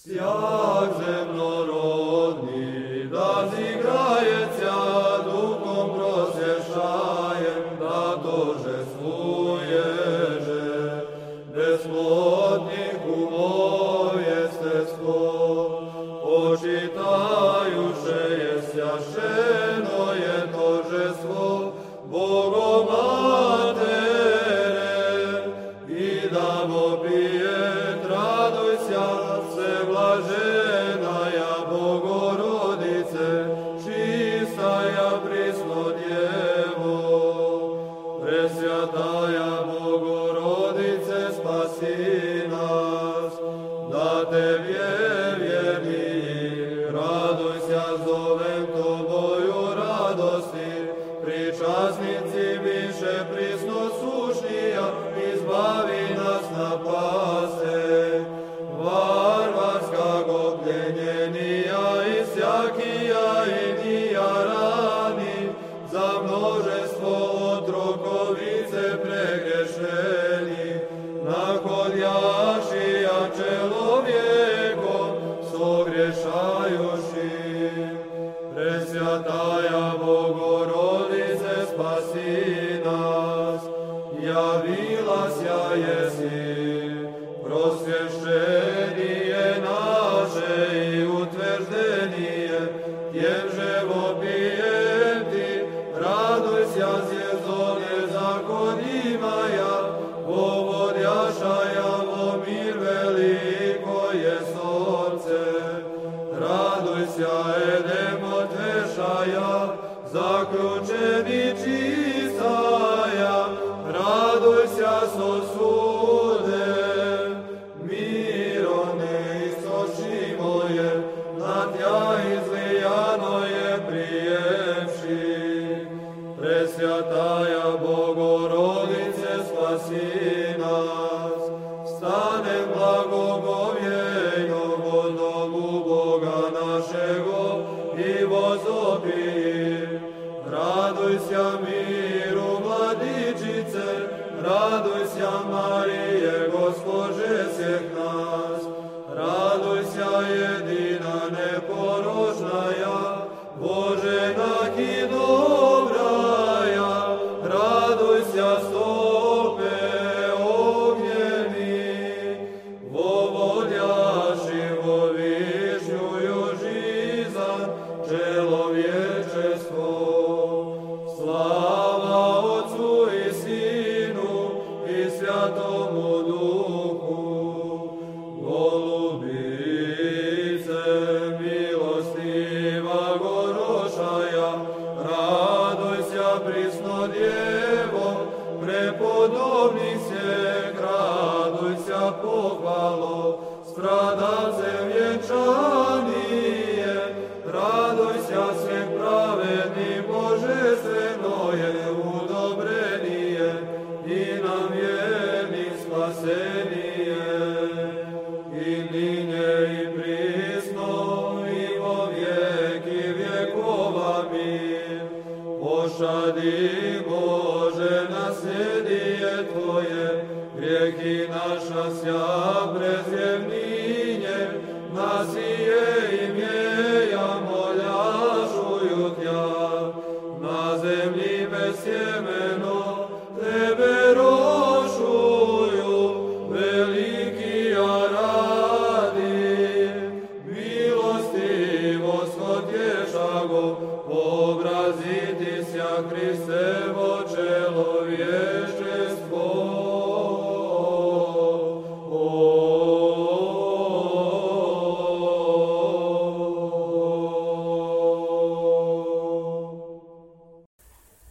Sjak zemnorodni, da zigrajeća duhom prosješajem, da dožestvuješ besplodnih umov jestestvo. Počitajuše je sjašeno je tožestvo Bogom Matere i da vopije radujся se blaženaja Bogorodice, čistaja prisno Djevo. Presvjataja Bogorodice, spasi nas, da Tebje vjerni, radujся zovem Tobою radosti, pričasnici više prisno sušnija, izbavi nas napase. Varvarskog pljenjenija i sjakija i nija rani, za množestvo otrokovice pregrešeni, nahodjašija čelovjekom sogrešajuši. Presvjataja Bogorodice, spasi nas, javila sja jesi, prosvješćenije naše i utvrđenije, tjem živopijem ti, radujся zjezone zakonima, povodjašaja vo mir veliko je sorce. Radujся edem otvešaja, zaključeni čistaja, radujся sosude. Mirone istočimo je, na tja izlijano je prijemši. Presvjataja Bogorodice, spasi nas, stanem blagogovjejno vo domu Boga našego i vozopiji. Radujся miru mladičice, radujся Marije, Gospođe svih nas. Radujся jedina neporočnaja, Boženak i dobraja, radujся stope ognjeni, vovodjaši vo višnjuju žizan, čelovječestvo. Slava Otcu i Sinu i Svjatomu Duhu. Golubice milostiva gorošaja, radujся prisno Djevo, prepodobnih svijek, radujся pohvalo, stradalce vjenčanije, radujся svijek pravedni, božestveno je udobrenije i nam vjerni spasenije. I ninje i prisno i vo vijeki vjekova mir. Pošadi Bože nasljedije Tvoje, grijehi naša sja prezjevninje, nasije imjeja moljašuju Tja. Na zemlji bez sjemeno Tebe rošuju, veliki radi. Milostivost otješago, obraziti sja Hristevo čelovječestvo.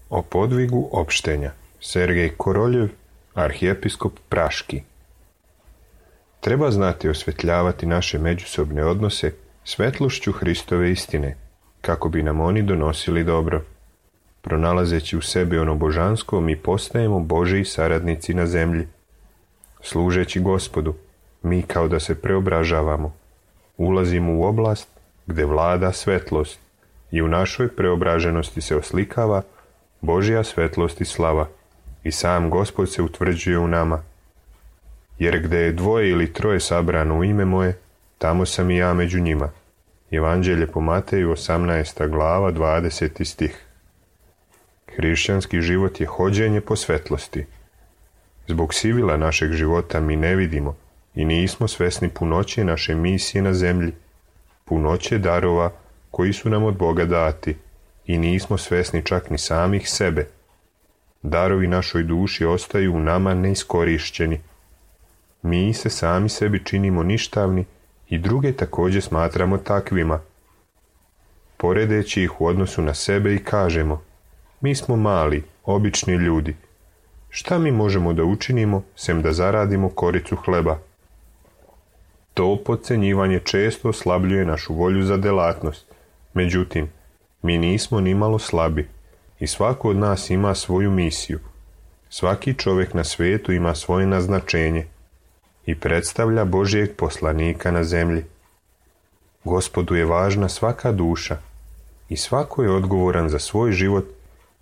O podvigu opštenja. Sergej Koroljev, arhijepiskop Praški. Treba znati osvetljavati naše međusobne odnose svetlošću Hristove istine, kako bi nam oni donosili dobro. Pronalazeći u sebi ono božansko, mi postajemo Božiji saradnici na zemlji. Služeći Gospodu, mi kao da se preobražavamo. Ulazimo u oblast gdje vlada svetlost i u našoj preobraženosti se oslikava Božja svetlost i slava i sam Gospod se utvrđuje u nama. Jer gdje je dvoje ili troje sabrano u ime moje, tamo sam i ja među njima. Evanđelje po Mateju 18. glava 20. stih. Hrišćanski život je hođenje po svetlosti. Zbog sivila našeg života mi ne vidimo i nismo svesni punoće naše misije na zemlji, punoće darova koji su nam od Boga dati i nismo svesni čak ni samih sebe. Darovi našoj duši ostaju u nama neiskorišćeni. Mi se sami sebi činimo ništavni i druge također smatramo takvima. Poredeći ih u odnosu na sebe i kažemo: mi smo mali, obični ljudi. Šta mi možemo da učinimo, sem da zaradimo koricu hleba? To podcenjivanje često oslabljuje našu volju za delatnost. Međutim, mi nismo ni malo slabi i svako od nas ima svoju misiju. Svaki čovjek na svijetu ima svoje naznačenje i predstavlja Božijeg poslanika na zemlji. Gospodu je važna svaka duša i svako je odgovoran za svoj život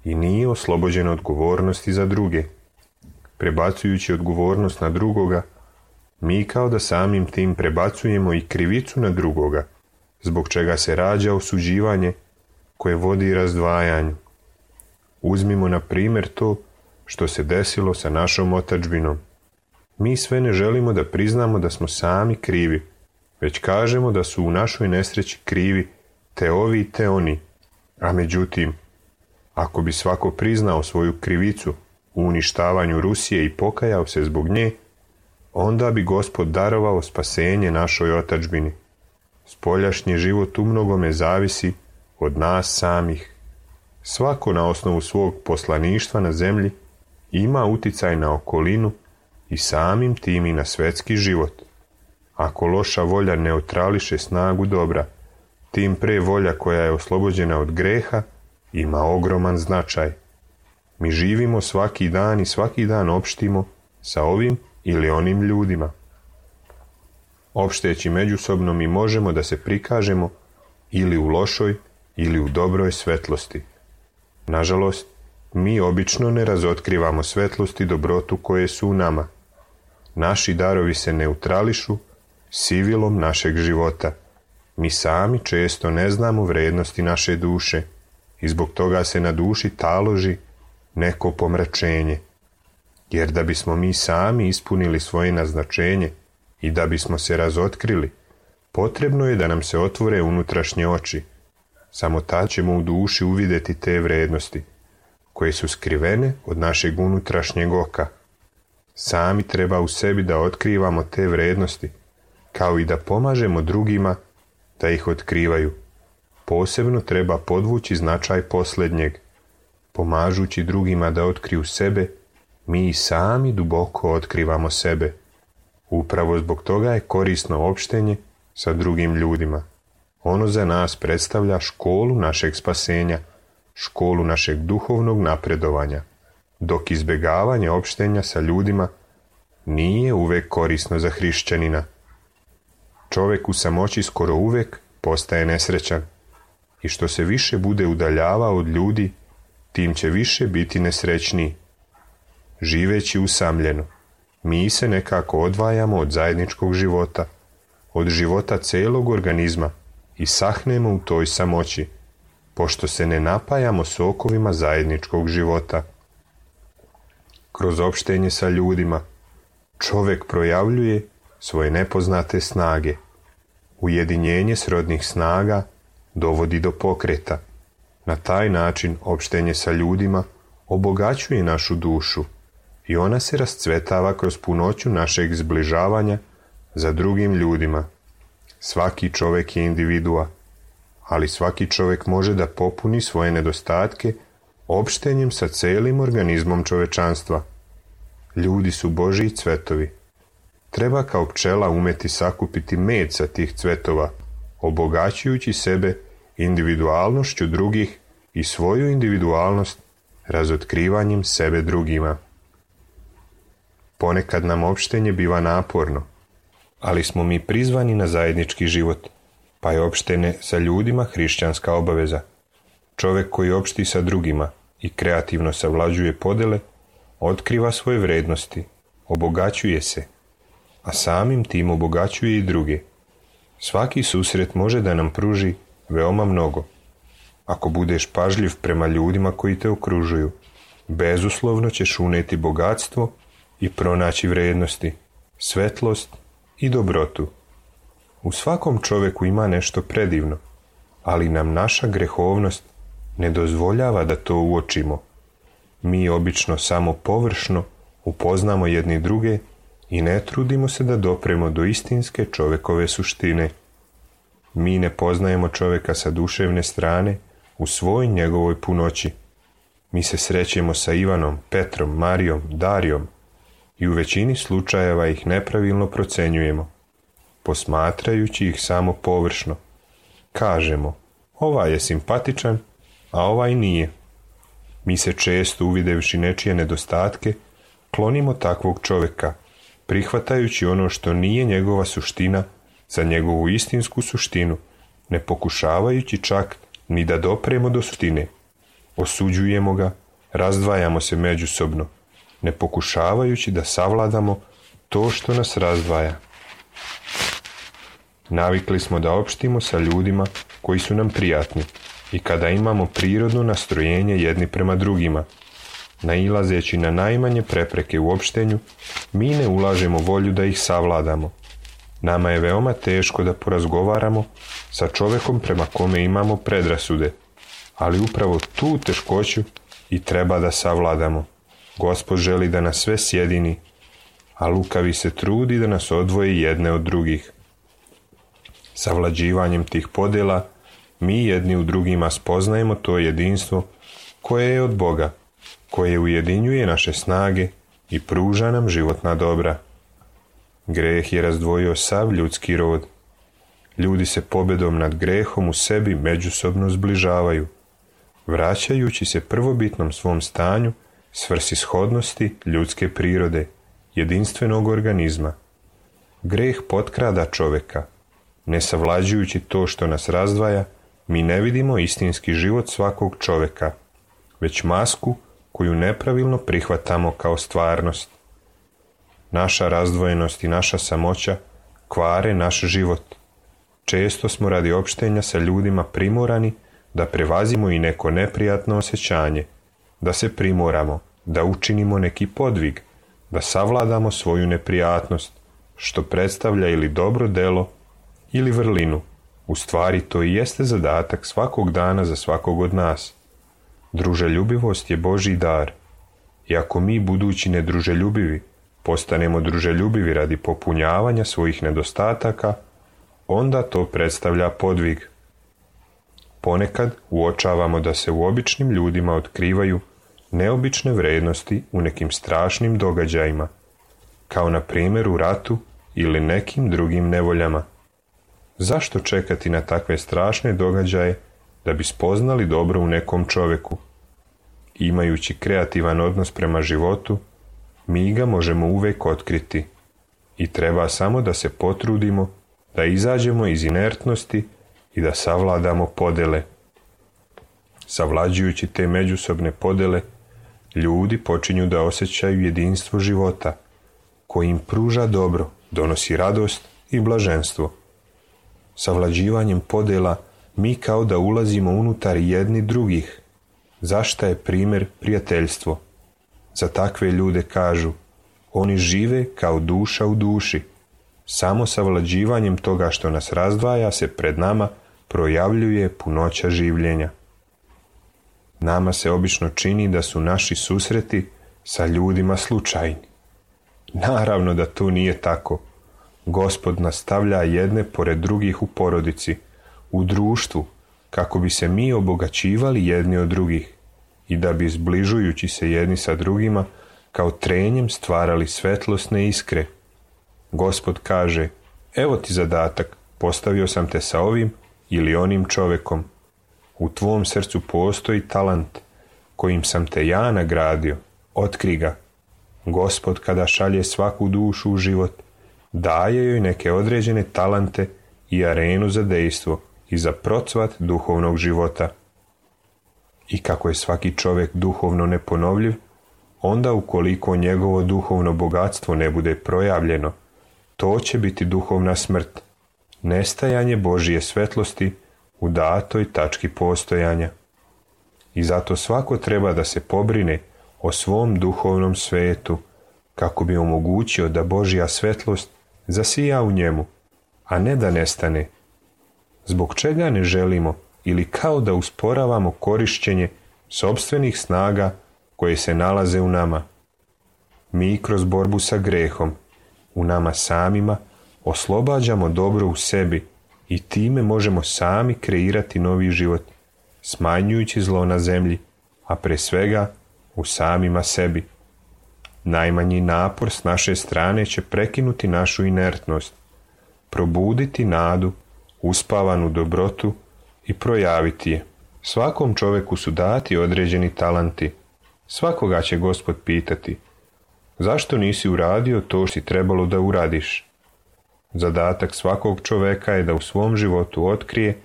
i nije oslobođen odgovornosti za druge. Prebacujući odgovornost na drugoga, mi kao da samim tim prebacujemo i krivicu na drugoga, zbog čega se rađa osuđivanje koje vodi razdvajanju. Uzmimo na primjer to što se desilo sa našom otadžbinom. Mi sve ne želimo da priznamo da smo sami krivi, već kažemo da su u našoj nesreći krivi te ovi te oni. A međutim, ako bi svako priznao svoju krivicu u uništavanju Rusije i pokajao se zbog nje, onda bi Gospod darovao spasenje našoj otadžbini. Spoljašnji život u mnogome zavisi od nas samih. Svako na osnovu svog poslaništva na zemlji ima uticaj na okolinu i samim tim i na svetski život. Ako loša volja neutrališe snagu dobra, tim pre volja koja je oslobođena od greha ima ogroman značaj. Mi živimo svaki dan i svaki dan opštimo sa ovim ili onim ljudima. Opšteći međusobno mi možemo da se prikažemo ili u lošoj ili u dobroj svetlosti. Nažalost, mi obično ne razotkrivamo svetlost i dobrotu koje su u nama. Naši darovi se neutrališu sivilom našeg života. Mi sami često ne znamo vrednosti naše duše i zbog toga se na duši taloži neko pomračenje. Jer da bismo mi sami ispunili svoje naznačenje i da bismo se razotkrili, potrebno je da nam se otvore unutrašnje oči. Samo tad ćemo u duši uvidjeti te vrednosti, koje su skrivene od našeg unutrašnjeg oka. Sami treba u sebi da otkrivamo te vrednosti, kao i da pomažemo drugima da ih otkrivaju. Posebno treba podvući značaj posljednjeg. Pomažući drugima da otkriju sebe, mi sami duboko otkrivamo sebe. Upravo zbog toga je korisno opštenje sa drugim ljudima. Ono za nas predstavlja školu našeg spasenja, školu našeg duhovnog napredovanja, dok izbjegavanje opštenja sa ljudima nije uvek korisno za hrišćanina. Čovjek u samoći skoro uvek postaje nesrećan i što se više bude udaljavao od ljudi, tim će više biti nesrećniji. Živeći usamljeno, mi se nekako odvajamo od zajedničkog života, od života celog organizma i sahnemo u toj samoći, pošto se ne napajamo sokovima zajedničkog života. Kroz opštenje sa ljudima, čovjek projavljuje svoje nepoznate snage. Ujedinjenje srodnih snaga dovodi do pokreta. Na taj način opštenje sa ljudima obogaćuje našu dušu i ona se rascvetava kroz punoću našeg zbližavanja za drugim ljudima. Svaki čovjek je individua, ali svaki čovjek može da popuni svoje nedostatke opštenjem sa celim organizmom čovečanstva. Ljudi su Božji cvetovi. Treba kao pčela umeti sakupiti med sa tih cvetova, obogaćujući sebe individualnošću drugih i svoju individualnost razotkrivanjem sebe drugima. Ponekad nam opštenje biva naporno, ali smo mi prizvani na zajednički život, pa je opštenje sa ljudima hrišćanska obaveza. Čovjek koji opšti sa drugima i kreativno savlađuje podele, otkriva svoje vrednosti, obogaćuje se, a samim tim obogaćuje i druge. Svaki susret može da nam pruži veoma mnogo. Ako budeš pažljiv prema ljudima koji te okružuju, bezuslovno ćeš uneti bogatstvo i pronaći vrednosti, svetlost i dobrotu. U svakom čoveku ima nešto predivno, ali nam naša grehovnost ne dozvoljava da to uočimo. Mi obično samo površno upoznamo jedni druge i ne trudimo se da dopremo do istinske čovekove suštine. Mi ne poznajemo čoveka sa duševne strane u svoj njegovoj punoći. Mi se srećemo sa Ivanom, Petrom, Marijom, Darijom i u većini slučajeva ih nepravilno procenjujemo, posmatrajući ih samo površno. Kažemo, ovaj je simpatičan, a ovaj nije. Mi se često, uvidevši nečije nedostatke, klonimo takvog čoveka, prihvatajući ono što nije njegova suština za njegovu istinsku suštinu, ne pokušavajući čak ni da dopremo do suštine. Osuđujemo ga, razdvajamo se međusobno, ne pokušavajući da savladamo to što nas razdvaja. Navikli smo da opštimo sa ljudima koji su nam prijatni i kada imamo prirodno nastrojenje jedni prema drugima. Nailazeći na najmanje prepreke u opštenju, mi ne ulažemo volju da ih savladamo. Nama je veoma teško da porazgovaramo sa čovekom prema kome imamo predrasude, ali upravo tu teškoću i treba da savladamo. Gospod želi da nas sve sjedini, a lukavi se trudi da nas odvoji jedne od drugih. Savlađivanjem tih podela mi jedni u drugima spoznajemo to jedinstvo koje je od Boga, koje ujedinjuje naše snage i pruža nam životna dobra. Greh je razdvojio sav ljudski rod. Ljudi se pobedom nad grehom u sebi međusobno zbližavaju, vraćajući se prvobitnom svom stanju svrsishodnosti ljudske prirode, jedinstvenog organizma. Greh potkrada čoveka. Ne savlađujući to što nas razdvaja, mi ne vidimo istinski život svakog čoveka, već masku koju nepravilno prihvatamo kao stvarnost. Naša razdvojenost i naša samoća kvare naš život. Često smo radi opštenja sa ljudima primorani da prevazimo i neko neprijatno osjećanje, da se primoramo, da učinimo neki podvig, da savladamo svoju neprijatnost, što predstavlja ili dobro delo ili vrlinu. U stvari to i jeste zadatak svakog dana za svakog od nas. Druželjubivost je Božji dar. I ako mi, budući nedruželjubivi, postanemo druželjubivi radi popunjavanja svojih nedostataka, onda to predstavlja podvig. Ponekad uočavamo da se u običnim ljudima otkrivaju neobične vrednosti u nekim strašnim događajima, kao na primjer u ratu ili nekim drugim nevoljama. Zašto čekati na takve strašne događaje da bi spoznali dobro u nekom čoveku? Imajući kreativan odnos prema životu, mi ga možemo uvek otkriti i treba samo da se potrudimo da izađemo iz inertnosti i da savladamo podele. Savlađujući te međusobne podele, ljudi počinju da osjećaju jedinstvo života, koji im pruža dobro, donosi radost i blaženstvo. Savlađivanjem podela mi kao da ulazimo unutar jedni drugih. Zašta je primjer prijateljstvo? Za takve ljude kažu, oni žive kao duša u duši. Samo savlađivanjem toga što nas razdvaja se pred nama projavljuje punoća življenja. Nama se obično čini da su naši susreti sa ljudima slučajni. Naravno da to nije tako. Gospod nas stavlja jedne pored drugih u porodici, u društvu, kako bi se mi obogaćivali jedni od drugih i da bi, zbližujući se jedni sa drugima, kao trenjem stvarali svetlosne iskre. Gospod kaže, evo ti zadatak, postavio sam te sa ovim ili onim čovekom. U tvom srcu postoji talant kojim sam te ja nagradio, otkri ga. Gospod kada šalje svaku dušu u život, daje joj neke određene talante i arenu za dejstvo i za procvat duhovnog života. I kako je svaki čovjek duhovno neponovljiv, onda ukoliko njegovo duhovno bogatstvo ne bude projavljeno, to će biti duhovna smrt. nestajanje Božje svetlosti u datoj tački postojanja. I zato svako treba da se pobrine o svom duhovnom svetu, kako bi omogućio da Božja svetlost zasija u njemu, a ne da nestane. Zbog čega ne želimo ili kao da usporavamo korišćenje sopstvenih snaga koje se nalaze u nama. Mi kroz borbu sa grehom, u nama samima, oslobađamo dobro u sebi i time možemo sami kreirati novi život, smanjujući zlo na zemlji, a pre svega u samima sebi. Najmanji napor s naše strane će prekinuti našu inertnost, probuditi nadu, uspavanu dobrotu i projaviti je. Svakom čoveku su dati određeni talanti. Svakoga će Gospod pitati: zašto nisi uradio to što si trebalo da uradiš? Zadatak svakog čoveka je da u svom životu otkrije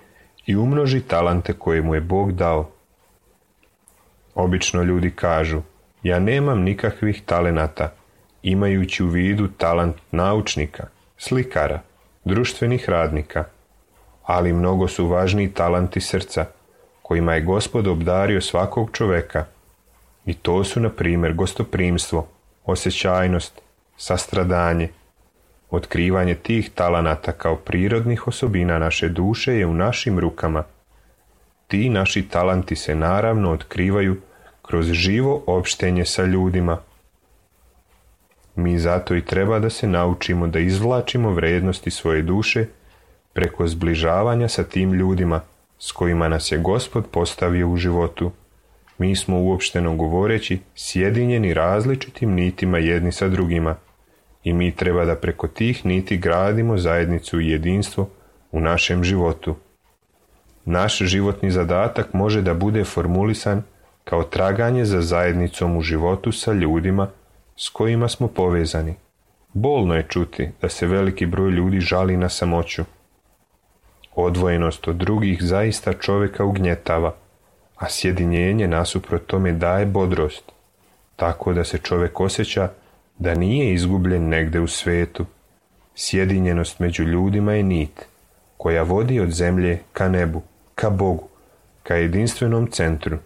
i umnoži talante koje mu je Bog dao. Obično ljudi kažu: ja nemam nikakvih talenata, imajući u vidu talant naučnika, slikara, društvenih radnika. Ali mnogo su važniji talanti srca, kojima je Gospod obdario svakog čoveka. I to su, na primjer, gostoprimstvo, osjećajnost, sastradanje. Otkrivanje tih talenata kao prirodnih osobina naše duše je u našim rukama. Ti naši talanti se naravno otkrivaju kroz živo opštenje sa ljudima. Mi zato i treba da se naučimo da izvlačimo vrednosti svoje duše preko zbližavanja sa tim ljudima s kojima nas je Gospod postavio u životu. Mi smo, uopšteno govoreći, sjedinjeni različitim nitima jedni sa drugima i mi treba da preko tih niti gradimo zajednicu i jedinstvo u našem životu. Naš životni zadatak može da bude formulisan kao traganje za zajednicom u životu sa ljudima s kojima smo povezani. Bolno je čuti da se veliki broj ljudi žali na samoću. Odvojenost od drugih zaista čovjeka ugnjetava, a sjedinjenje nasuprot tome daje bodrost, tako da se čovjek osjeća da nije izgubljen negde u svetu. Sjedinjenost među ljudima je nit koja vodi od zemlje ka nebu, ka Bogu, ka jedinstvenom centru.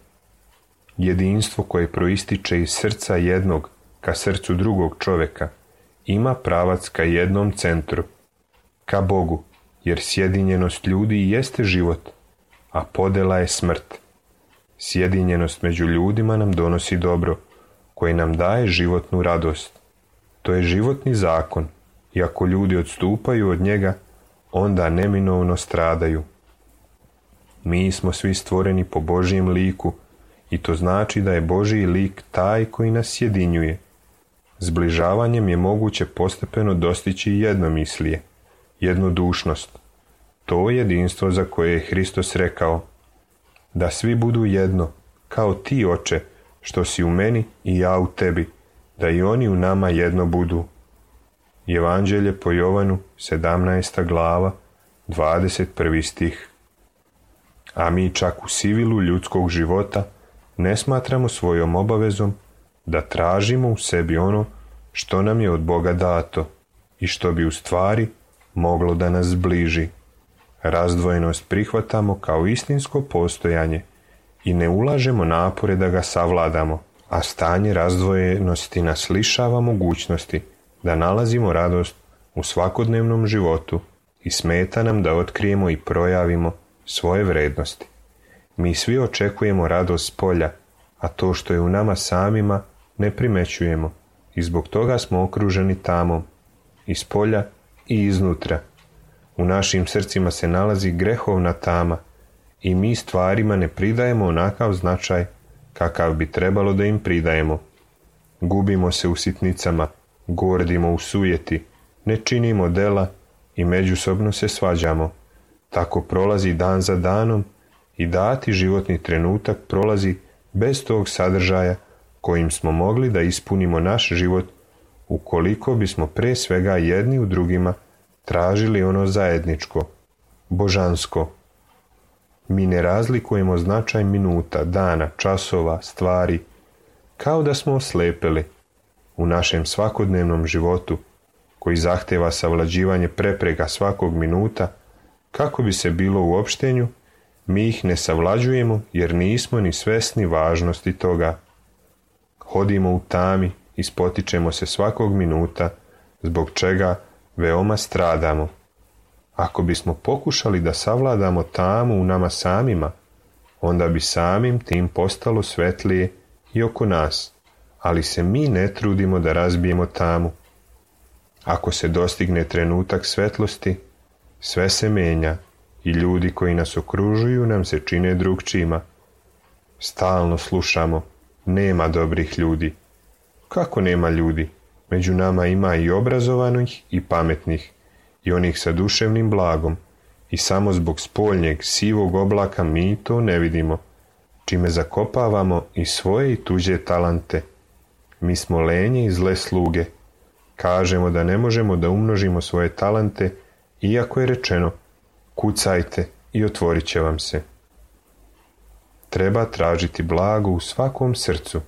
Jedinstvo koje proističe iz srca jednog ka srcu drugog čovjeka ima pravac ka jednom centru, ka Bogu, jer sjedinjenost ljudi jeste život, a podela je smrt. Sjedinjenost među ljudima nam donosi dobro, koje nam daje životnu radost. To je životni zakon, i ako ljudi odstupaju od njega, onda neminovno stradaju. Mi smo svi stvoreni po Božjem liku, i to znači da je Božji lik taj koji nas sjedinjuje. Zbližavanjem je moguće postepeno dostići jednomislije, jednodušnost. To jedinstvo za koje je Hristos rekao: da svi budu jedno, kao ti, Oče, što si u meni i ja u tebi, da i oni u nama jedno budu. Evanđelje po Jovanu, 17. glava, 21. stih. A mi čak u sivilu ljudskog života ne smatramo svojom obavezom da tražimo u sebi ono što nam je od Boga dato i što bi u stvari moglo da nas zbliži. Razdvojenost prihvatamo kao istinsko postojanje i ne ulažemo napore da ga savladamo, a stanje razdvojenosti nas lišava mogućnosti da nalazimo radost u svakodnevnom životu i smeta nam da otkrijemo i projavimo svoje vrednosti. Mi svi očekujemo radost s polja, a to što je u nama samima ne primećujemo i zbog toga smo okruženi tamom, iz polja i iznutra. U našim srcima se nalazi grehovna tama i mi stvarima ne pridajemo onakav značaj kakav bi trebalo da im pridajemo. Gubimo se u sitnicama, gordimo u sujeti, ne činimo dela i međusobno se svađamo. Tako prolazi dan za danom i dati životni trenutak prolazi bez tog sadržaja kojim smo mogli da ispunimo naš život ukoliko bismo pre svega jedni u drugima tražili ono zajedničko, božansko. Mi ne razlikujemo značaj minuta, dana, časova, stvari, kao da smo oslepeli. U našem svakodnevnom životu, koji zahteva savlađivanje prepreka svakog minuta, Kako bi se bilo u opštenju, mi ih ne savlađujemo jer nismo ni svesni važnosti toga. Hodimo u tami i spotičemo se svakog minuta, zbog čega veoma stradamo. Ako bismo pokušali da savladamo tamu u nama samima, onda bi samim tim postalo svetlije i oko nas, ali se mi ne trudimo da razbijemo tamu. Ako se dostigne trenutak svetlosti, sve se menja i ljudi koji nas okružuju nam se čine drugčijima. Stalno slušamo, nema dobrih ljudi. Kako nema ljudi? Među nama ima i obrazovanih i pametnih, i onih sa duševnim blagom, i samo zbog spoljnjeg sivog oblaka mi to ne vidimo, čime zakopavamo i svoje i tuđe talante. Mi smo lenje i zle sluge. Kažemo da ne možemo da umnožimo svoje talante, iako je rečeno, kucajte i otvorit će vam se. Treba tražiti blago u svakom srcu.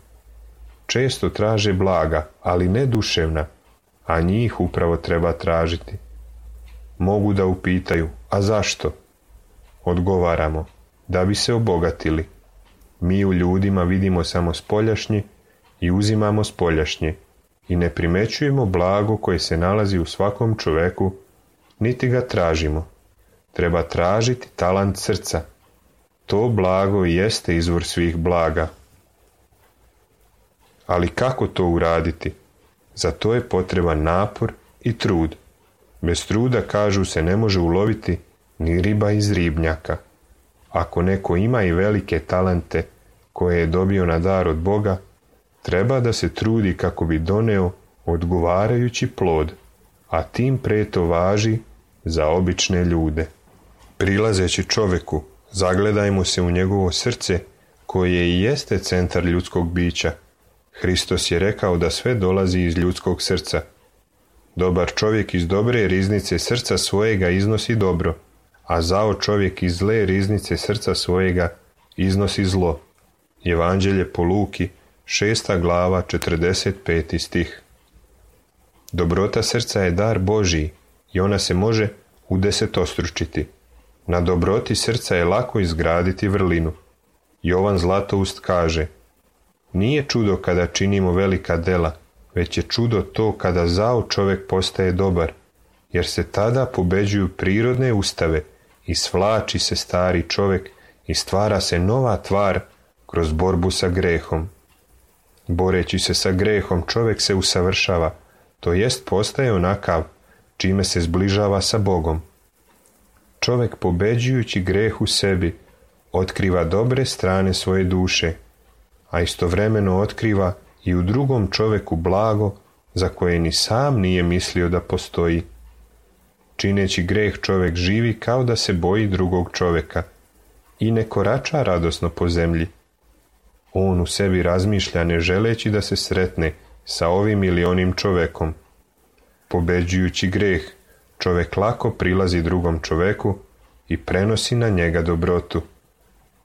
Često traže blaga, ali ne duševna, a njih upravo treba tražiti. Mogu da upitaju, a zašto? Odgovaramo, da bi se obogatili. Mi u ljudima vidimo samo spoljašnje i uzimamo spoljašnje i ne primećujemo blago koje se nalazi u svakom čoveku, niti ga tražimo. Treba tražiti talant srca. To blago jeste izvor svih blaga. Ali kako to uraditi? Za to je potreban napor i trud. Bez truda, kažu se, ne može uloviti ni riba iz ribnjaka. Ako neko ima i velike talente koje je dobio na dar od Boga, treba da se trudi kako bi doneo odgovarajući plod, a tim pre to važi za obične ljude. Prilazeći čoveku, zagledajmo se u njegovo srce, koje i jeste centar ljudskog bića. Hristos je rekao da sve dolazi iz ljudskog srca. Dobar čovjek iz dobre riznice srca svojega iznosi dobro, a zao čovjek iz zle riznice srca svojega iznosi zlo. Evanđelje po Luki, 6. glava, 45. stih. Dobrota srca je dar Božiji i ona se može udesetostručiti. Na dobroti srca je lako izgraditi vrlinu. Jovan Zlatoust kaže, nije čudo kada činimo velika dela, već je čudo to kada zao čovjek postaje dobar, jer se tada pobeđuju prirodne ustave i svlači se stari čovjek i stvara se nova tvar kroz borbu sa grehom. Boreći se sa grehom čovjek se usavršava, to jest postaje onakav, čime se zbližava sa Bogom. Čovjek pobeđujući greh u sebi otkriva dobre strane svoje duše, a istovremeno otkriva i u drugom čovjeku blago za koje ni sam nije mislio da postoji. Čineći greh čovjek živi kao da se boji drugog čovjeka i ne korača radosno po zemlji. On u sebi razmišlja ne želeći da se sretne sa ovim ili onim čovjekom. Pobeđujući greh, čovjek lako prilazi drugom čovjeku i prenosi na njega dobrotu.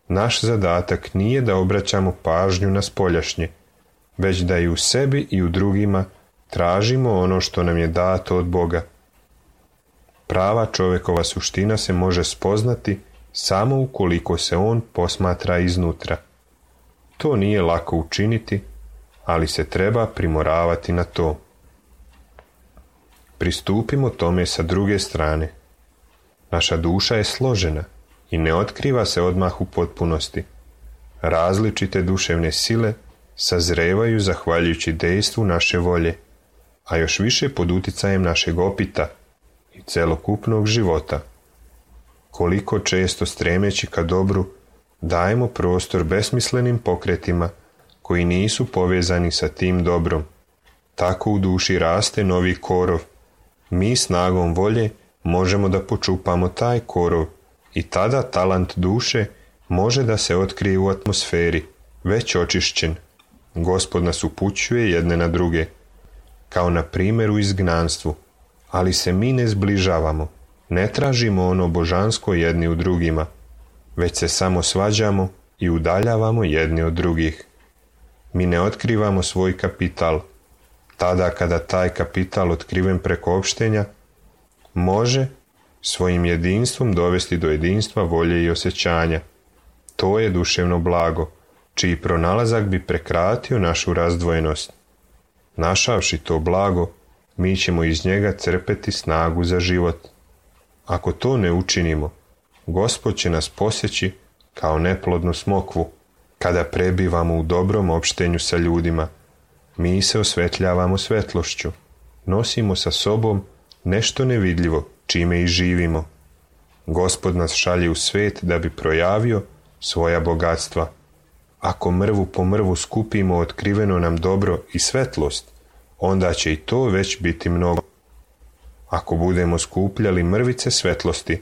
Naš zadatak nije da obraćamo pažnju na spoljašnje, već da i u sebi i u drugima tražimo ono što nam je dato od Boga. Prava čovjekova suština se može spoznati samo ukoliko se on posmatra iznutra. To nije lako učiniti, ali se treba primoravati na to. Pristupimo tome sa druge strane. Naša duša je složena i ne otkriva se odmah u potpunosti. Različite duševne sile sazrevaju zahvaljujući dejstvu naše volje, a još više pod uticajem našeg opita i celokupnog života. Koliko često stremeći ka dobru dajemo prostor besmislenim pokretima koji nisu povezani sa tim dobrom. Tako u duši raste novi korov. Mi snagom volje možemo da počupamo taj korov i tada talant duše može da se otkrije u atmosferi, već očišćen. Gospod nas upućuje jedne na druge, kao na primjer u izgnanstvu, ali se mi ne zbližavamo, ne tražimo ono božansko jedni u drugima, već se samo svađamo i udaljavamo jedni od drugih. Mi ne otkrivamo svoj kapital. Tada kada taj kapital otkriven preko opštenja može svojim jedinstvom dovesti do jedinstva volje i osjećanja. To je duševno blago, čiji pronalazak bi prekratio našu razdvojenost. Našavši to blago, mi ćemo iz njega crpeti snagu za život. Ako to ne učinimo, Gospod će nas posjeći kao neplodnu smokvu. Kada prebivamo u dobrom opštenju sa ljudima, mi se osvetljavamo svetlošću, nosimo sa sobom nešto nevidljivo, čime i živimo. Gospod nas šalje u svet da bi projavio svoja bogatstva. Ako mrvu po mrvu skupimo otkriveno nam dobro i svetlost, onda će i to već biti mnogo. Ako budemo skupljali mrvice svetlosti,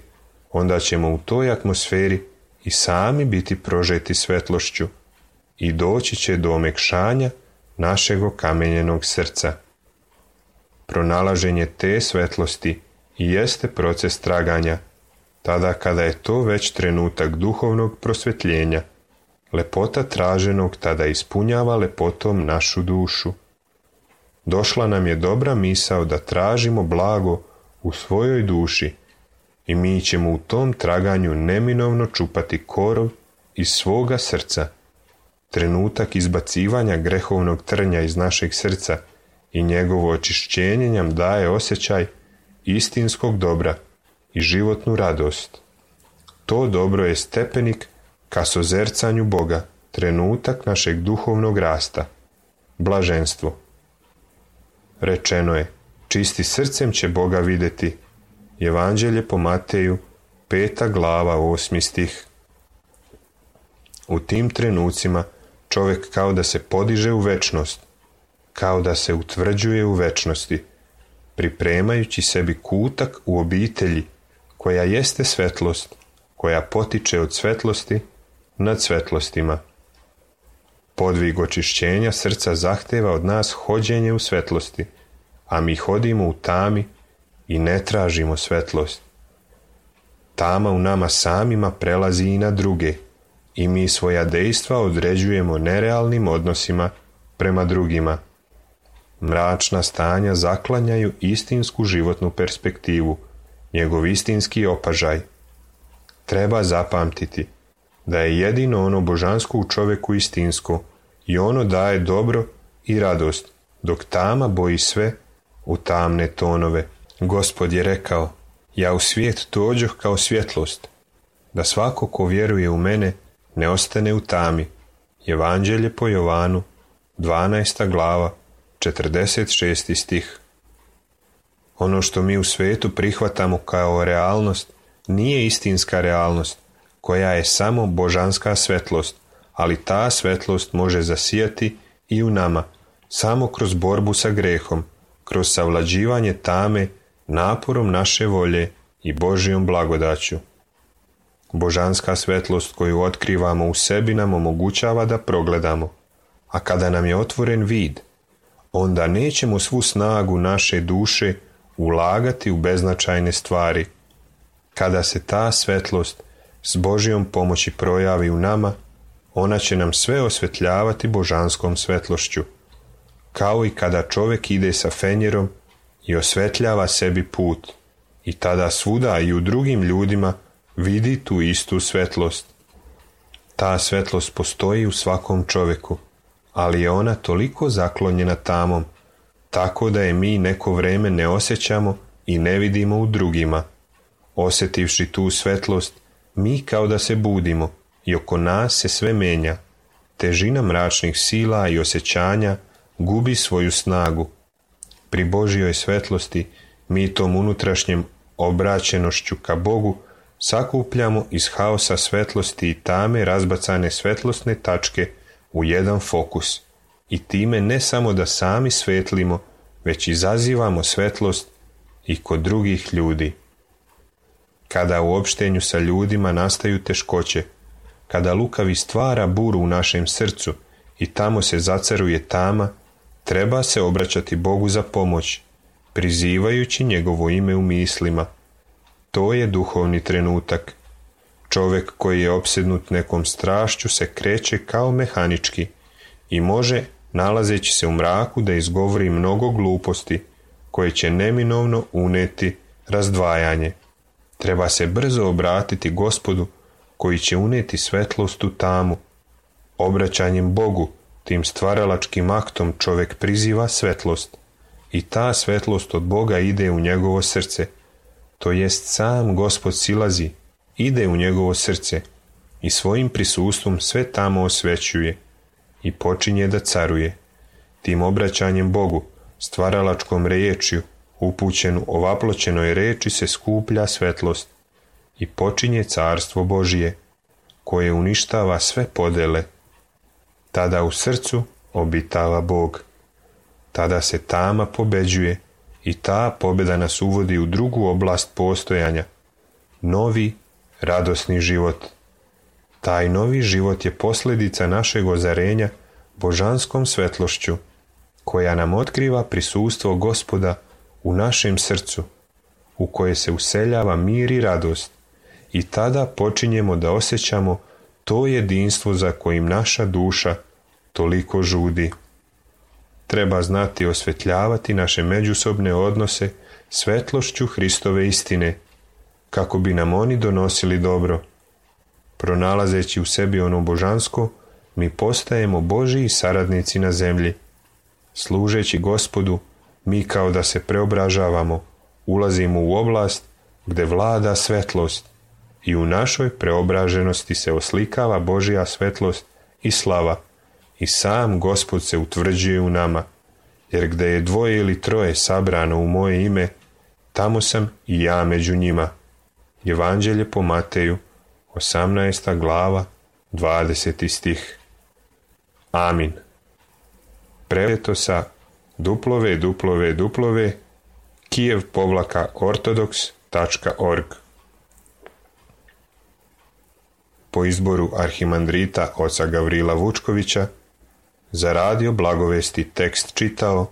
onda ćemo u toj atmosferi i sami biti prožeti svetlošću i doći će do omekšanja našeg okamenjenog srca. Pronalaženje te svetlosti i jeste proces traganja, tada kada je to već trenutak duhovnog prosvjetljenja. Lepota traženog tada ispunjava lepotom našu dušu. Došla nam je dobra misao da tražimo blago u svojoj duši i mi ćemo u tom traganju neminovno čupati korov iz svoga srca. Trenutak izbacivanja grehovnog trnja iz našeg srca i njegovo očišćenje nam daje osjećaj istinskog dobra i životnu radost. To dobro je stepenik ka sozercanju Boga, trenutak našeg duhovnog rasta, blaženstvo. Rečeno je, čisti srcem će Boga vidjeti. Evanđelje po Mateju, 5. glava, 8. stih. U tim trenucima čovjek kao da se podiže u večnost, kao da se utvrđuje u večnosti, pripremajući sebi kutak u obitelji koja jeste svetlost, koja potiče od svetlosti nad svetlostima. Podvig očišćenja srca zahteva od nas hođenje u svetlosti, a mi hodimo u tami i ne tražimo svetlost. Tama u nama samima prelazi i na druge i mi svoja dejstva određujemo nerealnim odnosima prema drugima. Mračna stanja zaklanjaju istinsku životnu perspektivu, njegov istinski opažaj. Treba zapamtiti da je jedino ono božansko u čovjeku istinsko i ono daje dobro i radost, dok tama boji sve u tamne tonove. Gospod je rekao, ja u svijet dođoh kao svjetlost, da svako ko vjeruje u mene ne ostane u tami. Evanđelje po Jovanu, 12. glava, 46. stih. Ono što mi u svijetu prihvatamo kao realnost nije istinska realnost, koja je samo božanska svetlost, ali ta svetlost može zasijati i u nama, samo kroz borbu sa grehom, kroz savlađivanje tame, naporom naše volje i Božjom blagodaću. Božanska svetlost koju otkrivamo u sebi nam omogućava da progledamo, a kada nam je otvoren vid, onda nećemo svu snagu naše duše ulagati u beznačajne stvari. Kada se ta svetlost s Božjom pomoći projavi u nama, ona će nam sve osvetljavati božanskom svetlošću, kao i kada čovjek ide sa fenjerom i osvetljava sebi put, i tada svuda i u drugim ljudima vidi tu istu svetlost. Ta svetlost postoji u svakom čovjeku, ali je ona toliko zaklonjena tamom, tako da je mi neko vrijeme ne osjećamo i ne vidimo u drugima. Osjetivši tu svetlost, mi kao da se budimo i oko nas se sve menja. Težina mračnih sila i osjećanja gubi svoju snagu. Pri Božjoj svetlosti mi tom unutrašnjem obraćenošću ka Bogu sakupljamo iz haosa svetlosti i tame razbacane svetlosne tačke u jedan fokus i time ne samo da sami svetlimo, već izazivamo svetlost i kod drugih ljudi. Kada u opštenju sa ljudima nastaju teškoće, kada lukavi stvara buru u našem srcu i tamo se zacaruje tama, treba se obraćati Bogu za pomoć, prizivajući njegovo ime u mislima. To je duhovni trenutak. Čovjek koji je opsednut nekom strašću se kreće kao mehanički i može, nalazeći se u mraku, da izgovori mnogo gluposti koje će neminovno uneti razdvajanje. Treba se brzo obratiti Gospodu koji će unijeti svetlost u tamu. Obraćanjem Bogu, tim stvaralačkim aktom čovjek priziva svetlost i ta svetlost od Boga ide u njegovo srce. To jest sam Gospod silazi, ide u njegovo srce i svojim prisustvom sve tamo osvećuje i počinje da caruje. Tim obraćanjem Bogu, stvaralačkom riječju, upućenu ovaploćenoj reči se skuplja svetlost i počinje carstvo Božije, koje uništava sve podele. Tada u srcu obitava Bog. Tada se tama pobeđuje i ta pobjeda nas uvodi u drugu oblast postojanja, novi, radosni život. Taj novi život je posljedica našeg ozarenja božanskom svetlošću, koja nam otkriva prisustvo Gospoda u našem srcu, u koje se useljava mir i radost, i tada počinjemo da osjećamo to jedinstvo za kojim naša duša toliko žudi. Treba znati osvetljavati naše međusobne odnose svetlošću Hristove istine, kako bi nam oni donosili dobro. Pronalazeći u sebi ono božansko, mi postajemo Božji saradnici na zemlji. Služeći Gospodu, mi kao da se preobražavamo, ulazimo u oblast gdje vlada svetlost i u našoj preobraženosti se oslikava Božja svetlost i slava i sam Gospod se utvrđuje u nama, jer gdje je 2 ili 3 sabrano u moje ime, tamo sam i ja među njima. Evanđelje po Mateju, 18. glava, 20. stih. Amin. Preveto sa www.kijev-ortodoks.org. Po izboru arhimandrita oca Gavrila Vučkovića, za radio Blagovesti tekst čitao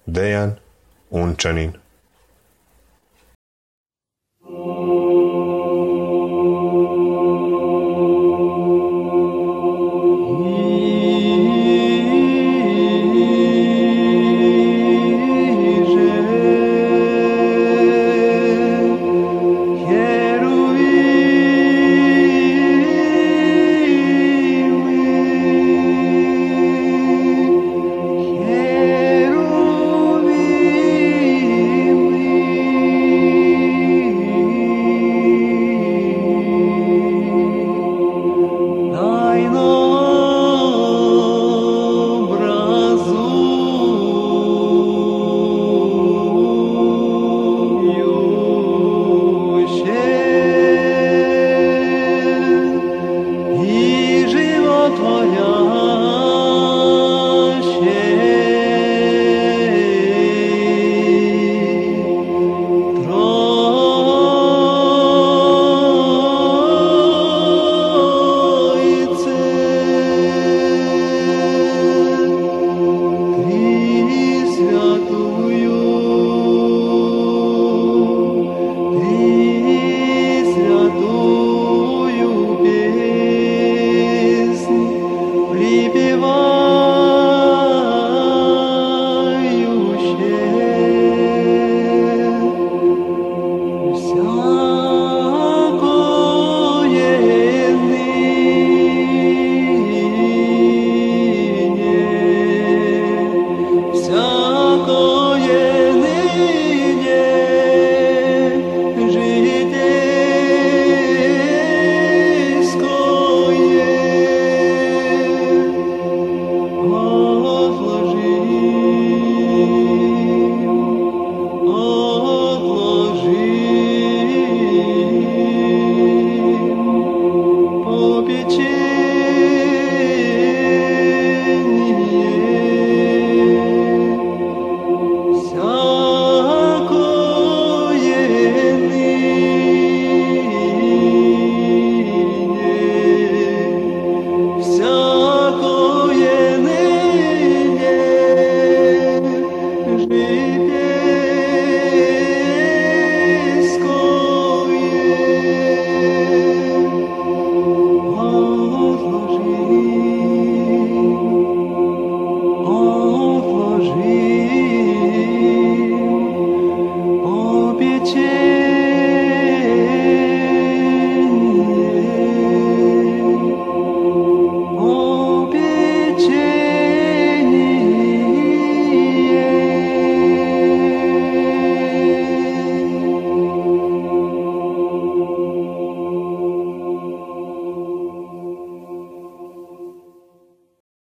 Dejan Unčanin.